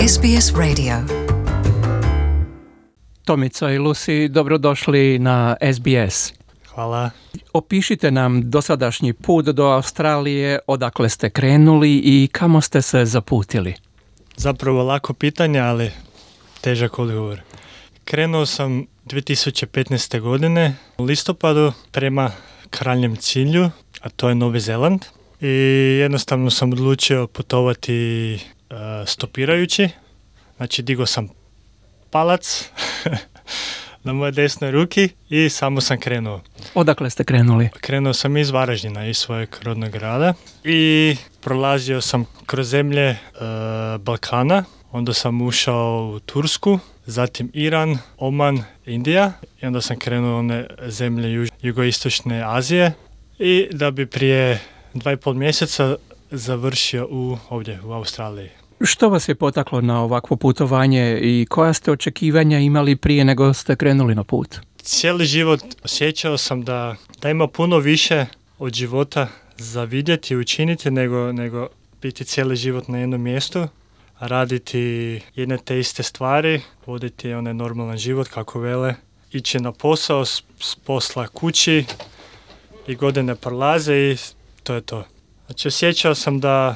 SBS Radio. Tomica i Lucy, dobrodošli na SBS. Hvala. Opišite nam dosadašnji put do Australije, odakle ste krenuli i kamo ste se zaputili. Zapravo lako pitanje, ali težak odgovor. Krenuo sam 2015. godine u listopadu prema krajnjem cilju, a to je Novi Zeland. I jednostavno sam odlučio putovati stopirajući. Znači digao sam palac na moje desnoj ruki i samo sam krenuo. Odakle ste krenuli? Krenuo sam iz Varaždina, iz svojeg rodnog grada i prolazio sam kroz zemlje Balkana. Onda sam ušao u Tursku, zatim Iran, Oman, Indija i onda sam krenuo u one zemlje jugoistočne Azije i da bi prije 2,5 mjeseca završio ovdje u Australiji. Što vas je potaklo na ovakvo putovanje i koja ste očekivanja imali prije nego ste krenuli na put? Cijeli život osjećao sam da ima puno više od života za vidjeti i učiniti nego biti cijeli život na jednom mjestu, raditi jedne te iste stvari, voditi onaj normalan život kako vele, ići na posao, s posla kući i godine prolaze i to je to. Znači osjećao sam da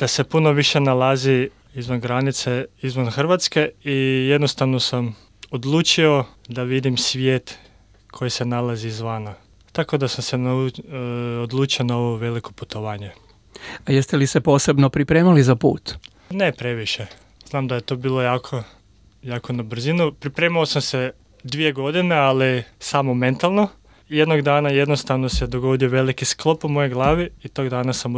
se puno više nalazi izvan granice, izvan Hrvatske i jednostavno sam odlučio da vidim svijet koji se nalazi izvana. Tako da sam se odlučio na ovo veliko putovanje. A jeste li se posebno pripremali za put? Ne previše. Znam da je to bilo jako na brzinu. Pripremao sam se 2 godine, ali samo mentalno. Jednog dana jednostavno se dogodio veliki sklop u mojoj glavi i tog dana sam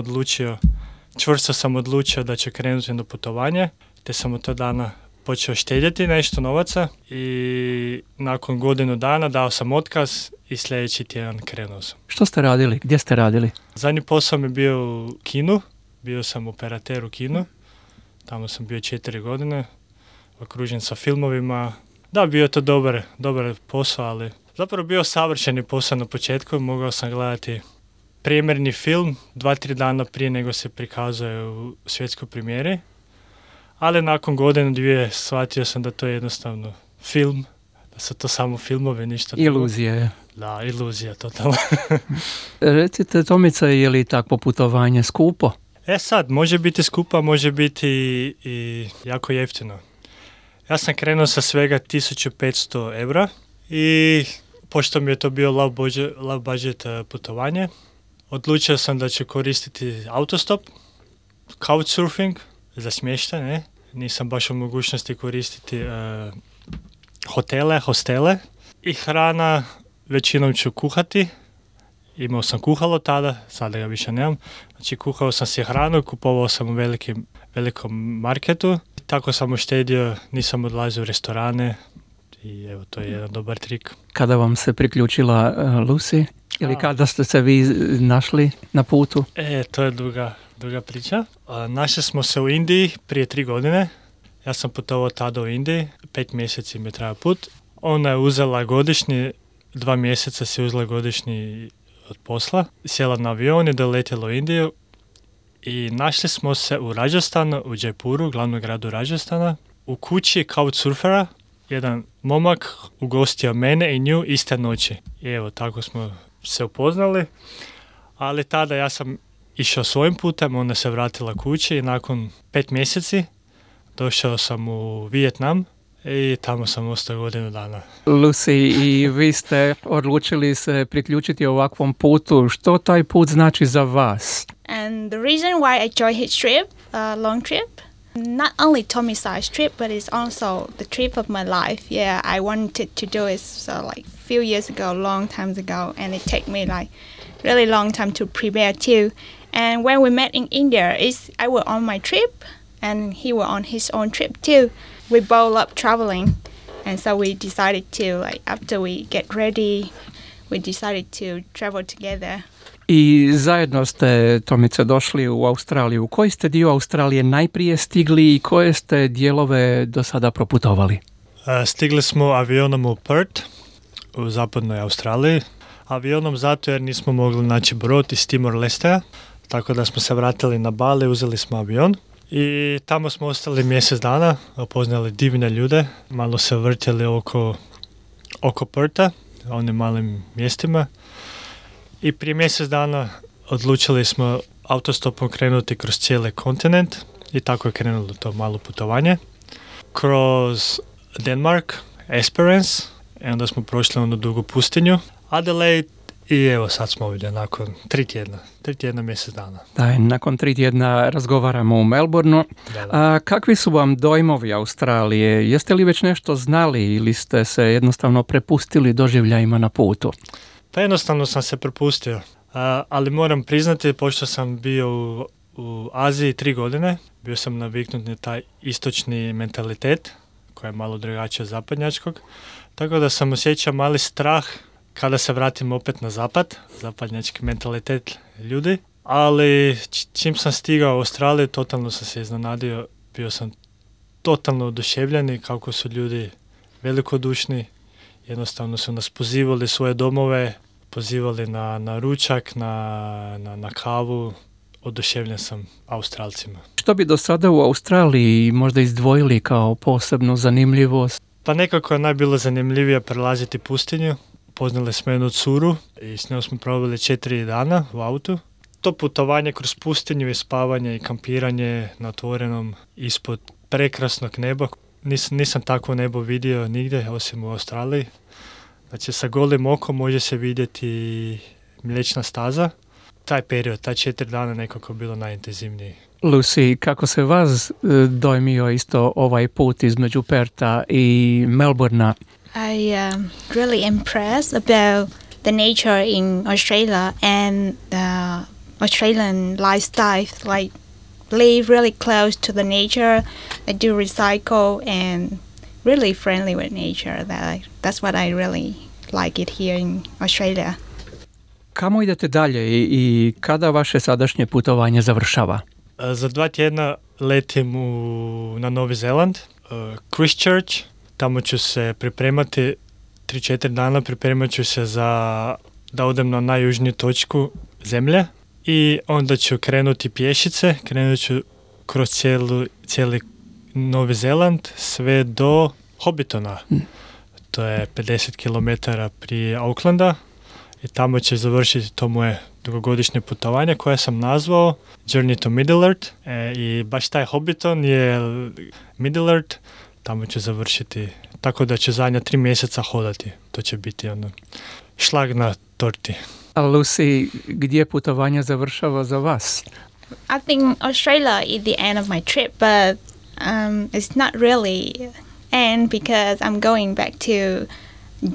čvrsto sam odlučio da ću krenuti na putovanje, te sam od tog dana počeo štedjeti nešto novaca i nakon godinu dana dao sam otkaz i sljedeći tjedan krenuo sam. Što ste radili? Gdje ste radili? Zadnji posao mi je bio u kinu, bio sam operater u kinu, tamo sam bio 4 godine, okružen sa filmovima. Da, bio je to dobar posao, ali zapravo bio savršeni posao na početku, mogao sam gledati premijerni film 2-3 dana prije nego se prikazuje u svjetskoj premijeri, ali nakon godine 2 shvatio sam da to je jednostavno film, da su to samo filmove, ništa drugo. Iluzije. Da, iluzija, totalno. Recite, Tomica, je li takvo putovanje skupo? Sad, može biti skupa, može biti i jako jeftino. Ja sam krenuo sa svega 1500 eura i pošto mi je to bio low budget putovanje, odlučio sam da ću koristiti autostop, couchsurfing za smještaj, ne? Nisam baš u mogućnosti koristiti hostele i hrana većinom ću kuhati. Imao sam kuhalo tada, sada ga više nemam. Znači kuhao sam si hranu, kupovao sam u velikom marketu. Tako sam uštedio, nisam odlazio u restorane i evo to je jedan dobar trik. Kada vam se priključila Lucy? Ili kada ste se vi našli na putu? To je duga priča. Našli smo se u Indiji prije 3 godine. Ja sam putovao tada u Indiji, 5 mjeseci mi je trajao put. Ona je uzela godišnji, 2 mjeseca si uzela godišnji od posla. Sjela na avion i doletjela u Indiju. I našli smo se u Rajasthanu, u Jaipuru, glavnom gradu Rajasthana, u kući couchsurfera. Jedan momak ugostio mene i nju iste noći. I evo, tako smo se upoznali, ali tada ja sam išao svojim putem, ona se vratila kući i nakon 5 mjeseci došao sam u Vijetnam i tamo sam ostao godinu dana. Lucy, i vi ste odlučili se priključiti ovakvom putu. Što taj put znači za vas? And the reason why I joined his trip, long trip, not only Tommy's trip, but it's also the trip of my life. Yeah, I wanted to do it like few years ago, long times ago, and it took me like really long time to prepare too. And when we met in India, I was on my trip, and he was on his own trip too. We both love traveling, and so we decided to, like, after we get ready, we decided to travel together. I zajedno ste, Tomice, došli u Australiju. U koji ste dio Australije najprije stigli i koje ste dijelove do sada proputovali? Stigli smo avionom u Perth, u zapadnoj Australiji. Avionom zato jer nismo mogli naći brod iz Timor-Lestea, tako da smo se vratili na Bali, uzeli smo avion. I tamo smo ostali mjesec dana, upoznali divne ljude, malo se vrtjeli oko Pertha, onim malim mjestima. I prije mjesec dana odlučili smo autostopom krenuti kroz cijeli kontinent i tako je krenulo to malo putovanje. Kroz Denmark, Esperance, i onda smo prošli onu dugu pustinju, Adelaide, i evo sad smo ovdje nakon 3 tjedna, mjesec dana. Da, nakon 3 tjedna razgovaramo u Melbourneu. Da. A kakvi su vam dojmovi Australije? Jeste li već nešto znali ili ste se jednostavno prepustili doživljajima na putu? Pa jednostavno sam se prepustio, ali moram priznati, pošto sam bio u Aziji 3 godine, bio sam naviknut na taj istočni mentalitet, koji je malo drugačiji od zapadnjačkog, tako da sam osjećao mali strah kada se vratim opet na zapad, zapadnjački mentalitet ljudi, ali čim sam stigao u Australiju, totalno sam se iznenadio, bio sam totalno oduševljen i kako su ljudi velikodušni, jednostavno su nas pozivali svoje domove, pozivali na ručak, na kavu, oduševljen sam Australcima. Što bi do sada u Australiji možda izdvojili kao posebnu zanimljivost? Pa nekako je najbilo zanimljivije prelaziti pustinju. Poznali smo jednu curu i s njom smo proveli 4 dana u autu. To putovanje kroz pustinju i spavanje i kampiranje na otvorenom ispod prekrasnog neba. Nisam takvo nebo vidio nigdje osim u Australiji. Znači sa golim okom može se vidjeti Mliječna staza. Taj period, taj 4 dana nekako bilo najintenzivniji. Lucy, kako se vas dojmio isto ovaj put između Pertha i Melbournea? I really impressed about the nature in Australia and the Australian lifestyle. Like, live really close to the nature. They do recycle and really friendly with nature. That's what I really like it here in Australia. Kamo idete dalje i kada vaše sadašnje putovanje završava? Za 2 tjedna letim na Novi Zeland, Christchurch. Tamo ću se pripremati 3-4 dana, pripremat ću se da odem na najjužniju točku zemlje i onda ću krenuti pješice, krenut ću kroz cijeli Novi Zeland sve do Hobbitona. To je 50 km prije Aucklanda i tamo će završiti to moje dugogodišnje putovanje koje sam nazvao Journey to Middle-earth i baš taj Hobbiton je Middle-earth. Tamo ću završiti, tako da ću zadnja 3 mjeseca hodati. To će biti šlag na torti. A Lucy, gdje putovanje završava za vas? I think Australia is the end of my trip, but it's not really end because I'm going back to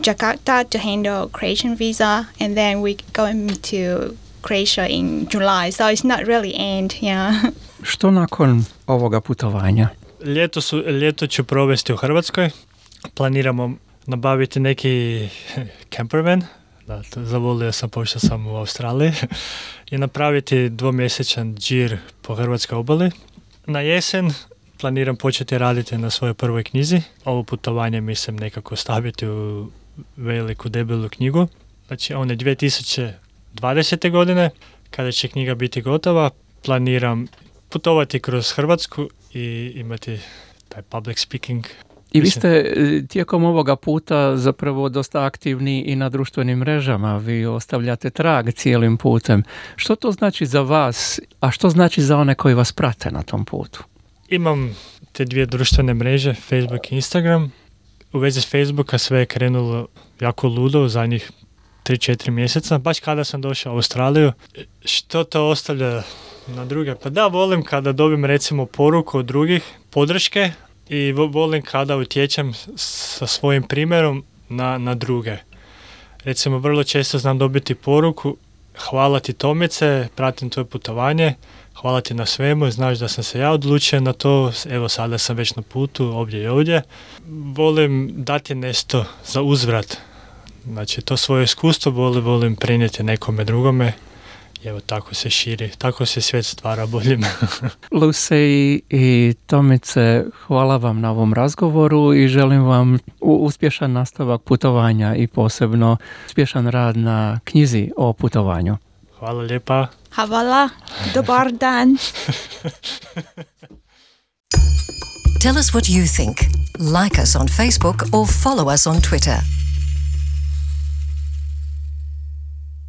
Jakarta to handle Croatian visa, and then we're going to Croatia in July, so it's not really end, yeah. Što nakon ovoga putovanja? Ljeto ću provesti u Hrvatskoj. Planiramo nabaviti neki campervan. Da, zavolio sam pošto sam u Australiji. I napraviti 2-mjesečan džir po hrvatskoj obali. Na jesen planiram početi raditi na svojoj prvoj knjizi. Ovo putovanje mislim nekako staviti u veliku debelu knjigu. Znači one 2020. godine, kada će knjiga biti gotova, planiram putovati kroz Hrvatsku i imati taj public speaking. I vi ste tijekom ovoga puta zapravo dosta aktivni i na društvenim mrežama. Vi ostavljate trag cijelim putem. Što to znači za vas, a što znači za one koji vas prate na tom putu? Imam te 2 društvene mreže, Facebook i Instagram. U vezi s Facebooka sve je krenulo jako ludo u zadnjih 3-4 mjeseca. Baš kada sam došao u Australiju. Što to ostavlja na druge? Pa da, volim kada dobim recimo poruku od drugih, podrške, i volim kada utječem sa svojim primjerom na druge. Recimo, vrlo često znam dobiti poruku: hvala ti Tomice, pratim tvoje putovanje, hvala ti na svemu, znaš da sam se ja odlučio na to, evo sada sam već na putu, ovdje i ovdje. Volim dati nešto za uzvrat. Znači, to svoje iskustvo volim prenijeti nekome drugome. I evo, tako se širi, tako se svijet stvara boljim. Lucy i Tomice, hvala vam na ovom razgovoru i želim vam uspješan nastavak putovanja i posebno uspješan rad na knjizi o putovanju. Hvala lijepa. Hvala, dobar dan. Tell us what you think. Like us on Facebook or follow us on Twitter.